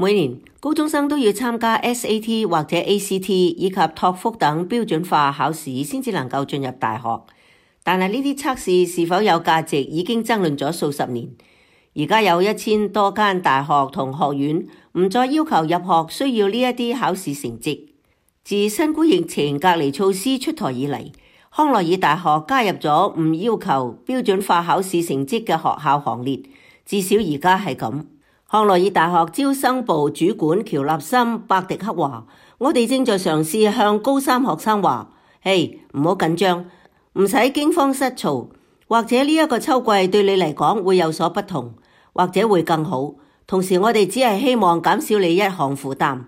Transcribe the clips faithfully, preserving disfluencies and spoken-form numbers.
每年高中生都要參加 S A T 或者 A C T 以及托福等標準化考試先至能夠進入大學。但係呢啲測試是否有價值已經爭論咗數十年。而家有一千多間大學同學院唔再要求入學需要呢一啲考試成績。自新冠疫情隔離措施出台以嚟，康奈爾大學加入咗唔要求標準化考試成績嘅學校行列，至少而家係咁。康奈爾大學招生部主管喬納森·伯迪克話：我哋正在嘗試向高三學生話，嘿，唔好緊張，唔使驚慌失措，或者呢一個秋季對你嚟講會有所不同，或者會更好。同時我哋只係希望減少你一項負擔，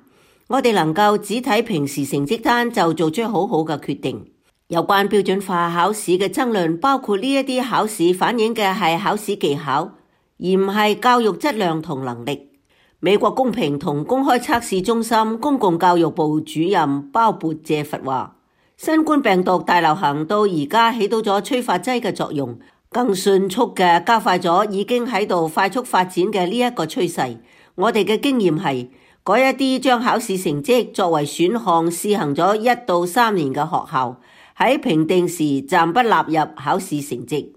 我哋能夠只睇平時成績單就做出好好嘅決定。有關標準化考試嘅爭論包括呢一啲考試反映嘅係考試技巧，而唔係教育質量同能力。美國公平同公開測試中心公共教育部主任鮑勃謝佛話：新冠病毒大流行到而家起到咗催化劑嘅作用，更迅速嘅加快咗已經喺度快速發展嘅呢一個趨勢。我哋嘅經驗係，嗰一啲將考試成績作為選項試行咗一到三年嘅學校，喺評定時暫不納入考試成績。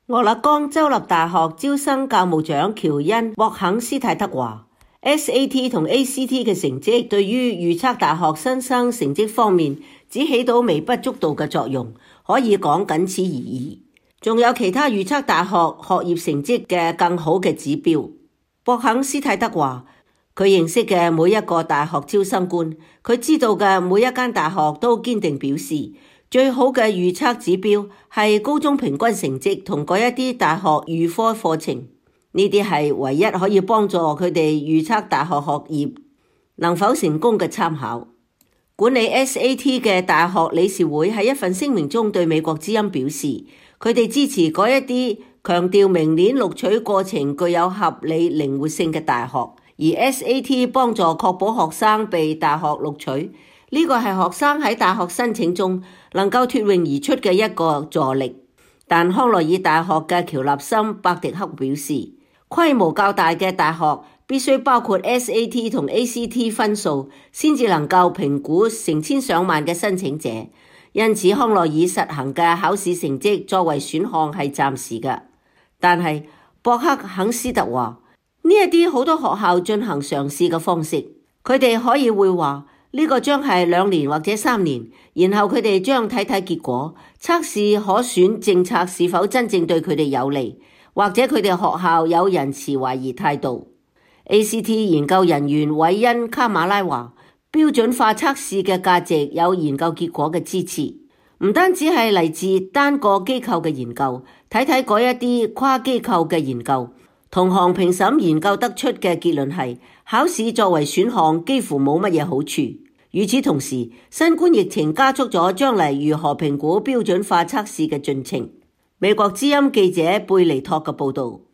俄勒岡州立大學招生教務長喬恩·沃肯斯泰德話 ：S A T 同 A C T 嘅成績對於預測大學新生成績方面只起到微不足道嘅作用，可以講僅此而已。仲有其他預測大學學業成績嘅更好嘅指標。沃肯斯泰德話：佢認識嘅每一個大學招生官，佢知道嘅每一間大學都堅定表示，最好嘅預測指標係高中平均成績同嗰一啲大學預科課程，呢啲係唯一可以幫助佢哋預測大學學業能否成功嘅參考。管理 S A T 嘅大學理事會喺一份聲明中對美國之音表示，佢哋支持嗰一啲強調明年錄取過程具有合理靈活性嘅大學，而 S A T 幫助確保學生被大學錄取。呢個係學生喺大學申請中能夠脫穎而出嘅一個助力，但康奈爾大學嘅喬納森·伯迪克表示，規模較大嘅大學必須包括 S A T 同 A C T 分數，先至能夠評估成千上萬嘅申請者。因此，康奈爾實行嘅考試成績作為選項係暫時嘅。但係博克肯斯特話，呢一啲好多學校進行嘗試嘅方式，佢哋可以會話。呢個將係兩年或者三年，然後佢哋將睇睇結果，測試可選政策是否真正對佢哋有利，或者佢哋學校有人持懷疑態度。A C T 研究人員韋恩卡馬拉話，標準化測試嘅價值有研究結果嘅支持，唔單止係嚟自單個機構嘅研究，睇睇嗰一啲跨機構嘅研究。同行評審研究得出嘅結論係，考試作為選項幾乎冇乜嘢好處。與此同時，新冠疫情加速咗將來如何評估標準化測試嘅進程。美國之音記者貝尼托嘅報導。